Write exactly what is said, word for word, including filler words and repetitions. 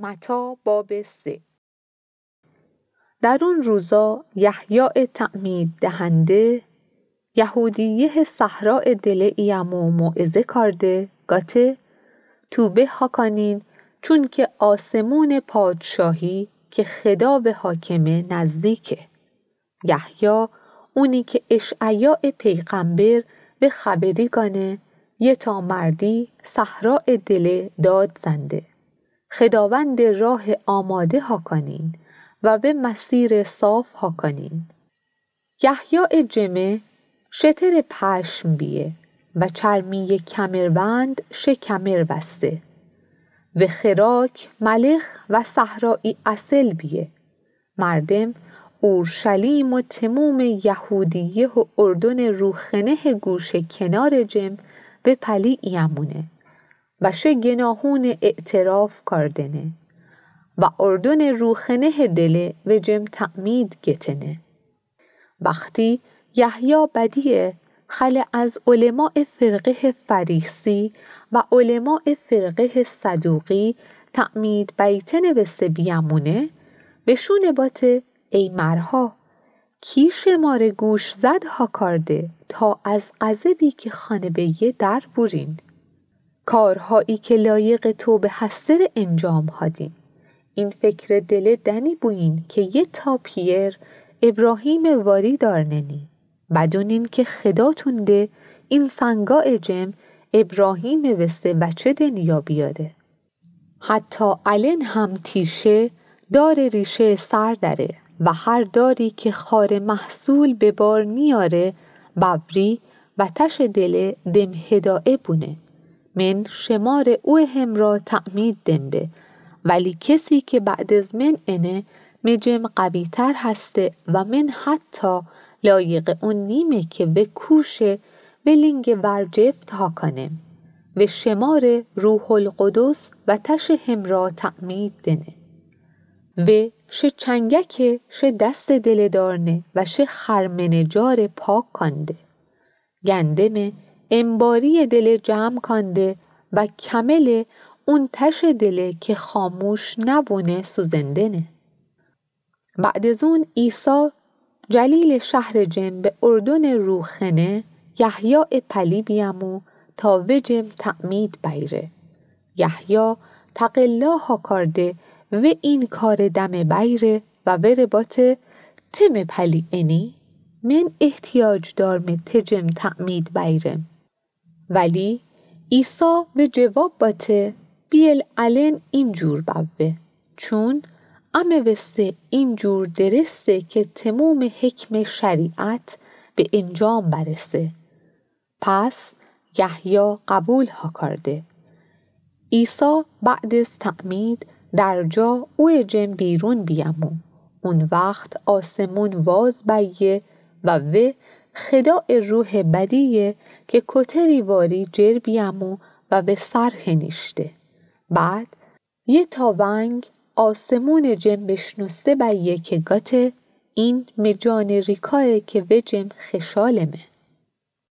متی باب سه. در آن روزا یحیای تعمیددهنده، یهودیه صحرای دل ایمو موعظه کارده، گاته: طوبی هاکانین، چونکه آسمون پادشاهی که خداوند حاکمه نزدیکه. یحیی اونی که اشعیای پیغمبر به خبری گانه، یه تا مردی صحرای دل داد زنده. خداوند راه آماده هاکانین و به مسیر صاف هاکانین. یحیی جمه شتر پشم بیه و چرمی کمربند شه کمر بسته. و خوراک ملخ و صحرایی عسل بیه. مردم اورشلیم و تموم یهودیه و اردن روخنه گوشه کنار جم و پلی ایمونه و شه گناهون اعتراف کاردنه و اردن روخنه دل و جم تعمید گتنه. وختی یحیی بدیه، خلع از علمای فرقه فریسی و علمای فرقه صدوقی تعمید بیتنه وسه بیمونه، وشونه باته: ای مرها، کی شماره گوش زد هاکارده تا از غضبی که خانه بیه در بورین؟ کارهایی که لایق توبه هسته ره انجام هادین. این فکر دل دنی بوین که یه تا پیر ابراهیم واری دارننی. بدونین که خداتون ده اینسانگای جم ابراهیم وسه وچه دنیا بیاره. حتی الن هم تیشه دار ریشه سر دره و هر داری که خار محصول به بار نیاره، ببری و تش دل دم هدایه بونه. من شمار او همرا تعمید دم به، ولی کسی که بعد از من انه، مجم قوی تر هسته و من حتی لایق اون نیمه که و کوشه و لینگ ورجفت هاکانم. و شمار روح القدس و تش همرا تعمید دنه. و شه چنگکه شه دست دل دارنه و شه خرمنه جار پاک کانده. گندم انباری دل جمع کانده و کمل اون تش دل که خاموش نبونه سوزندنه. بعد از اون عیسی جلیل شهر جم به اردن روخنه یحیی پلی بیمو تا و جم تعمید بیره. یحیی تقلا هاکارده و این کار دم بیره و وره باته: ته می پلی اینی؟ من احتیاج دارم ته جم تعمید بیرم. ولی عیسی و جواب باته: بیل الن این جور بوه، چون امه وسه این جور درسته که تموم حکم شریعت به انجام برسه. پس یحیی قبول هاکارده. عیسی بعد از تعمید در جا او جم بیرون بیمو. اون وخت آسمون واز بیه و و خدای روح بدیه که کتری واری جر بیمو و به سر هنیشته. بعد یه تا ونگ آسمون جم بشنوسته بیه که گاته: این می جان ریکایه که و جم خشالمه.